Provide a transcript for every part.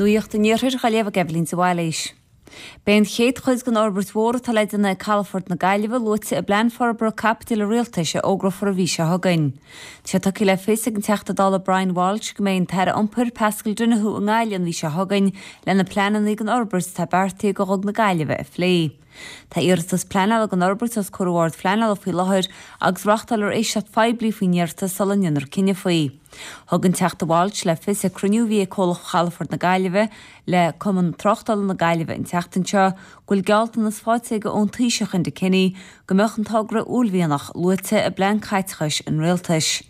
Nuacht an Iarthair á léamh ag Eibhlín de Bhailís. Beidh an chéad chuid den fhorbairt mhór atá le déanamh ag Calafort na Gaillimhe luaite i bPlean Forbartha Caipitil an Rialtais a fhógrófar an mhí seo chugainn. Tá sé tugtha le fios ag an Teachta Dála Brian Walsh go mbeidh an tAire Iompair, Paschal Donohoe i nGaillimh an mhí seo chugainn le na pleananna don fhorbairt atá beartaithe do Dhuga na Gaillimhe a phlé. Tá iarratas pleanála don fhorbairt os comhair an Bhoird Phleanála faoi láthair agus reáchtálfar éisteacht phoiblí faoin iarratas sula ndéanfar cinneadh faoi. Thug an Teachta Walsh le fios ag cruinniú a bhí ag Comhlacht Chalafort na Gaillimhe le Cumann Tráchtála na Gaillimhe an tseachtain seo go bhfuil gealltanas faighte aige ón Taoiseach Enda Kenny go mbeadh an togra uaillmhianach luaite i bplean caiteachais an Rialtais.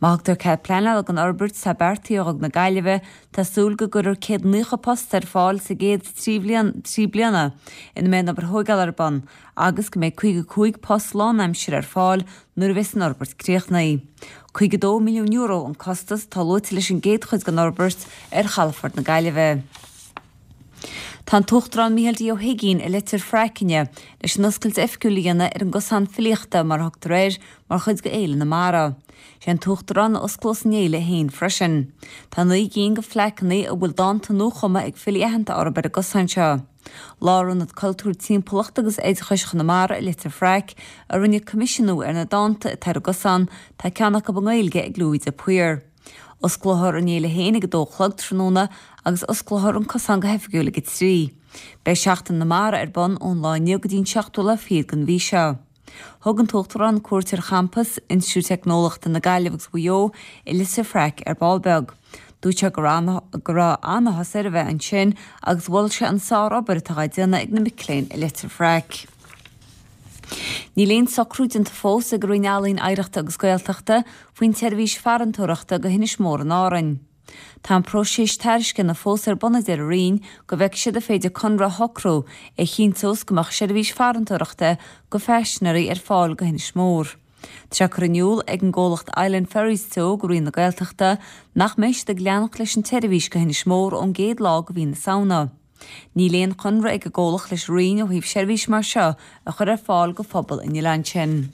Má thugtar cead pleanála don fhorbairt atá beartaithe do Dhuga na Gaillimhe Tá súil go gcuirfear 190 post ar fáil sa gcéad 3 bhliain, 3 bliana ina mbeidh an obair thóigeála ar bun agus go mbeidh 55 post lánaimsire ar fáil nuair a bheas an fhorbairt críochnaithe. €52 milliún an costas atá luaite leis an gcéad chuid den fhorbairt ar chalafort na Gaillimhe. Tá an tUachtarán Micheál D. Ó hUigínn i Leitir Fraic inniu leis an oscailt oifigiúil a dhéanamh ar an gCosán Filíochta, mar a thugtar air, mar chuid de Fhéile na Mara. Sé an tUachtarán a osclós an fhéile féin freisin. Tá 9 gcinn de phlaiceanna a bhfuil dánta nuachumtha ag filí aitheanta orthu ar an gcosán seo. Lárionad Cultúir Timpeallachta agus Oideachais Chonamara i Leitir Fraic a rinne coimisiúnú ar na dánta atá ar an gcosán, tá ceann acu i nGaeilge ag Louis de Paor. Osclófar an fhéile féin ag 2 a chlog tráthnóna agus osclófar an cosán go hoifigiúil ag 3. Beidh Seachtain na Mara ar bun ón lá inniu go dtí an seachtú lá fichead den mhí seo. Thug an tUachtarán cuairt ar champas Institiúid Teicneolaíochta na Gaillimhe agus Mhaigh Eo i Leitir Fraic ar ball beag. Dúirt sé go raibh an-áthas air a bheith ansin agus mhol sé an sár-obair atá á déanamh ag na mic léinn i Leitir Fraic. Níl aon socrú déanta fós ag an Roinn Ealaíon, Oidhreachta agus Gaeltachta faoin tseirbhís farantóireachta go hInis Mór in Árainn. Tá an próiseas tairisceana fós ar bun a deir an Roinn go bhfeicfidh siad an féidir conradh a shocrú a chinnteos go mbeadh seirbhís farantóireachta go phaisinéirí ar fáil go hInis Mór. Tá sé curtha in iúl ag an gcomhlacht Island Ferries Teo go Roinn na Gaeltachta nach mbeidh siad ag leanacht leis an tseirbhís go hInis Mór ón gcéad lá go mhí na Samhna. Níl aon chonradh ag an gcomhlacht leis an Roinn ó thaobh seirbhís mar seo a chur ar fáil go phobal an oileáin sin.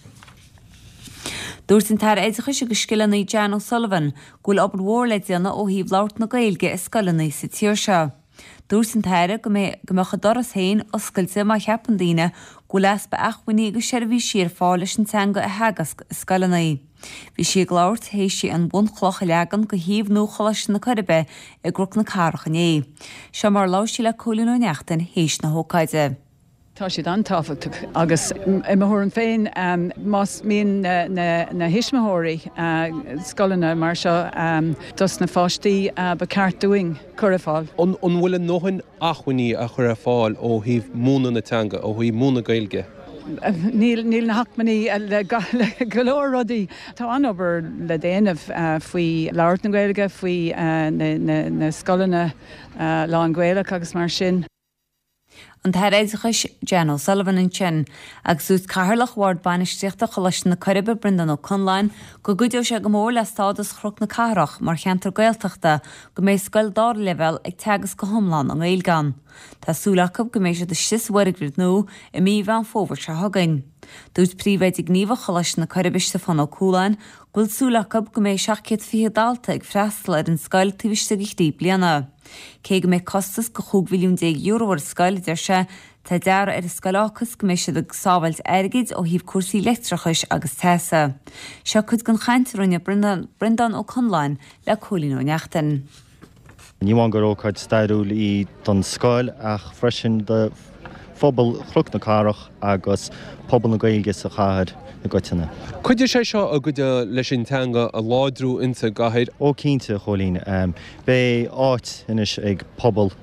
Dúirt an tAire Oideachais agus Scileanna Jan O'Sullivan go bhfuil obair mhór le déanamh ó thaobh labhairt na Gaeilge i scoileanna sa tír seo. Dúirt an tAire go mbeadh a doras féin oscailte má cheapann daoine go bhfuil easpa acmhainní agus seirbhísí ar fáil leis an teanga a theagasc i scoileanna. Bhí sí ag labhairt théis di an bhunchloch a leagan go shuíomh nua Choláiste na Coiribe i gCnoc na Cathrach inné. Seo mar a labhair sí le Cóilín Ó Neachtain théis na hócáide. Tá siad an-tábhachtach agus i mo thuairim féin más mian na thuismitheoirí scoileanna mar seo dos na pháistí ba ceart dúinn cur ar fáil. An bhfuil a ndóthain acmhainní á chur ar fáil ó thaobh múineadh na teanga, ó thaobh múineadh Gaeilge? Níl, níl na hacmhainní le go leor rudaí. Tá an-obair le déanamh faoi labhairt na Gaeilge, faoi na scoileanna lán-Ghaelach agus mar sin. An tAire Oideachais, Jan O'Sullivan ansin, agus dúirt Cathaoirleach Bhord Bainistíochta Choláiste na Coiribe, Breandán Ó Conláin, go gcuideoidh sé go mór le stádas Chnoc na Cathrach mar cheantar Gaeltachta go mbeidh scoil dara leibhéal ag teagasc go hiomlán i nGaeilge ann. Tá súil acu go mbeidh siad istigh sa bhfoirgneamh nua i mí Mheán Fómhair seo chugainn. Dúirt Príomhoide Gníomhach Choláiste na Coiribe, Stiofán Ó Cualáin, go bhfuil súil acu go mbeidh 720 dalta ag freastal ar an scoil taobh istigh de thrí bliana. Cé go mbeidh costas de €15 mhilliún ar an scoil, a deir sé, tá dearadh ar an scoil a fhágfas go mbeidh siad ag sábháilt airgid ó thaobh cúrsaí leictreachais agus teasa. Seo cuid den chaint a rinne Breandán Ó Conláin le Cóilín Ó Neachtain. Ní amháin gur ócáid stairiúil í don scoil ach freisin do phobal Chnoc na Cathrach agus pobal na Gaeilge sa chathair i gcoitinne. Cuideoidh sé seo a gcuideoidh leis an teanga a láidriú insa gcathair. Ó cinnte, a Chóilín. Beidh áit anois ag pobal,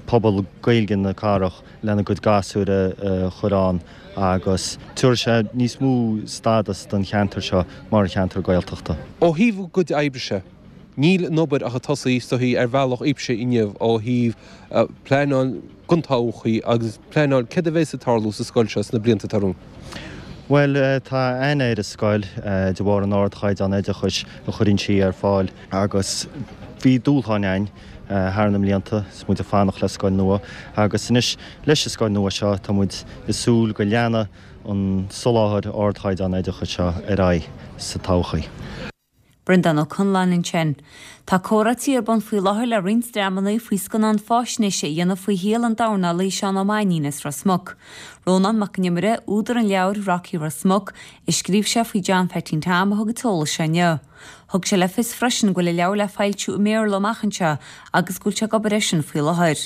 pobal Gaeilge na cathrach lena gcuid gasúir a chur ann agus tabharfaidh sé níos mó stádas don cheantar seo mar cheantar Gaeltachta. Ó thaobh a gcuid oibre-se, níl an obair ach ag tosaí is dóichí ar bhealach daoibhse inniu ó thaobh pleanáil don todhchaí agus pleanáil céard a bheas ag tarlú sa scoil seo sna blianta atá romhainn. Bhuel, tá aithne ar an scoil de bharr an ardchaighdeán oideachais a chuireann sí ar fáil agus bhí dúshláin againn thar na mblianta is muid ag fanacht le scoil nua agus anois leis an scoil nua seo tá muid ag súil go leanfaidh an soláthar ardchaighdeán oideachais seo ar aghaidh sa todhchaí. Breandán Ó Conláin ansin. Tá comhráití ar bun faoi láthair le roinnt dreamanna faoi scannán fáisnéise a dhéanamh faoi shaol an dornálaí Seán Ó Mainnín as Ros Muc. Rónán Mac Con Iomaire, údar an leabhair Rocky Ros Muc, a scríobh sé faoi John Pheaitín Tom a thug an t-eolas seo inniu. Thug sé le fios freisin go bhfuil an leabhar le foilsiú i mBéarla amach anseo agus go bhfuil sé ag obair air sin faoi láthair.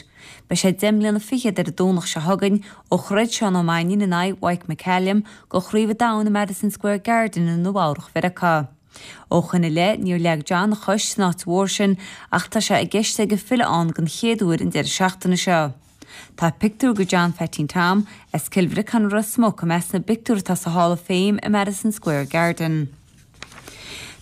Beidh sé 10 mbliana fichead ar an Domhnach seo chugainn ó throid Seán Ó Mainnín in aghaidh Mike McCallum do Chraobh an Domhain i Madison Square Garden i Nua-Eabhrac Mheiriceá. Ó shoin i leith níor leag John a chois san áit mhór sin ach tá sé i gceist aige filleadh ann den chéad uair an deireadh seachtaine seo. Tá pictiúr de John Pheaitín Tom as Cill Bhriocáin i Ros Muc i measc na bpictiúr atá sa Hall of Fame i Madison Square Garden.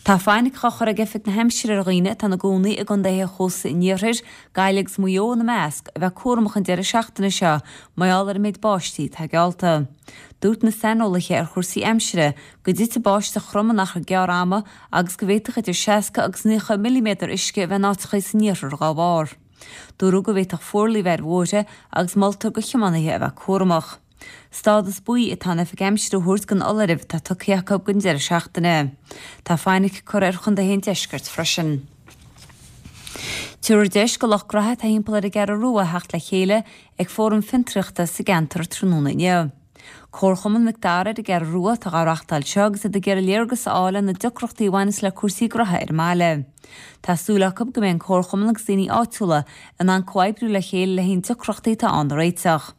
Tá fainic á chur ag Oifig na hAimsire ar dhaoine atá ina gcónaí i gcontaetha chósta an iarthair, Gaillimh agus Maigh Eo ina measc, a bheith cúramach an deireadh seachtaine seo mar gheall ar an méid báistí atá geallta. Dúirt na saineolaithe ar chúrsaí aimsire go dtitfidh báisteach throm in achar gearr ama agus go bhféadfadh idir 60 agus 90 milliméadar uisce a bheith in áiteacha san iarthar dá bharr. Dúradh go bhféadfadh fuarlaigh a bheith ar bhóithre agus moltar do thiománaithe a bheith cúramach. Stádas buí atá an Oifig Aimsire a thabhairt don fholáireamh atá tugtha acu don deireadh seachtaine. Tá fainic curtha ar chontaetha an deiscirt freisin. Tabharfar deis do lucht graithe atá thimpeall ar an gCeathrú Rua theacht le chéile ag fóram fiontraíochta sa gceantar tráthnóna inniu. Comharchumann Mhic Dara ar an gCeathrú Rua atá dhá reachtáil seo agus iad ag iarraidh léargas a fháil ar na deacrachtaí a bhaineas le cúrsaí graithe ar an mbaile. Tá súil acu go mbeidh an comharchumann agus daoine áitiúla in ann comhoibriú le chéile le haon deacrachtaí atá ann a réiteach.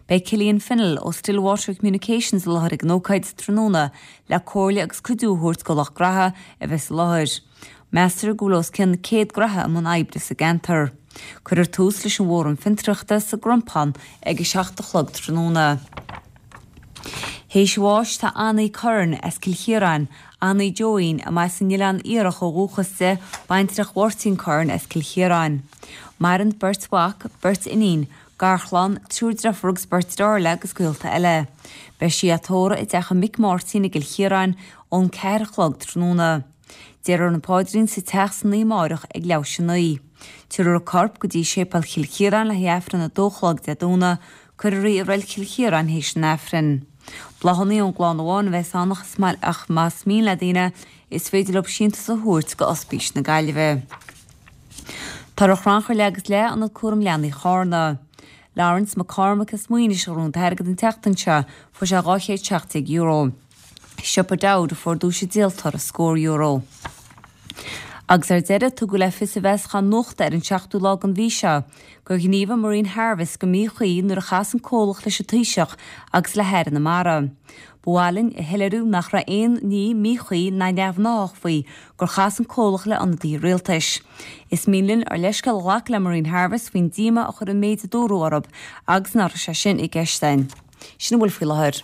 Beidh Killian Fennell ó Stillwater Communications i láthair ag an ócáid tráthnóna le comhairle agus cuidiú a thabhairt do lucht graithe a bheas i láthair. Meastar go bhfuil os cionn 100 graithe i mbun oibre sa gceantar. Cuirfear tús leis an bhFóram Fiontraíochta sa gCrompán ag a 7 a chlog tráthnóna. Théis a bháis tá Annie Curran as Cill Chiaráin, Annie Joeín, a mba as an Oileán Iarthach ó dhúchas di, baintreach Mháirtín Curran as Cill Chiaráin. Maireann beirt mhac, beirt iníon, Garchlann, triúr deirfiúr agus beirt deartháir léi agus gaolta eile. Beidh sí á tórramh i dteach a mic Máirtín i gCill Chiaráin ón 4 a chlog tráthnóna. Déarfar an paidrín sa teach san oíche amáireach ag leathuair théis a 9. Tabharfar a corp go dtí Séipéal Chill Chiaráin le haghaidh Aifreann a dó a chlog Dé Domhnaigh. Cuirfear í i Reilig Chill Chiaráin théis an Aifrinn. Bláthanna ón gclann amháin a bheas ann ach más mian le daoine is féidir leo síntiús a thabhairt go Ospís na Gaillimhe. Tá ar chrannchur le agus le Ionad Cúram Leanaí Chárna. Laurence McCormack as Maínis a ghnóthaigh an t-airgead an tseachtain seo, fuair sé €217. Siopa Dowd a fuair duais an díoltóra scór euro. Agus ar deireadh, tugadh le fios i bhfeasachán nuachta ar an seachtú lá den mhí seo gur ghníomhaigh Marine Harvest go míchuí nuair a chas an comhlacht leis an Taoiseach agus le hAire na Mara. Ba mhaith linn a shoiléiriú nach raibh aon ní míchuí ná neamhghnáthach faoi gur chas an comhlacht le ionadaithe rialtais. Is mian linn ár leithscéal a ghlacadh le Marine Harvest faoin díomá a chuir an méid a dúradh orthu agus nach raibh sé sin i gceist againn. Sin a bhfuil faoi láthair.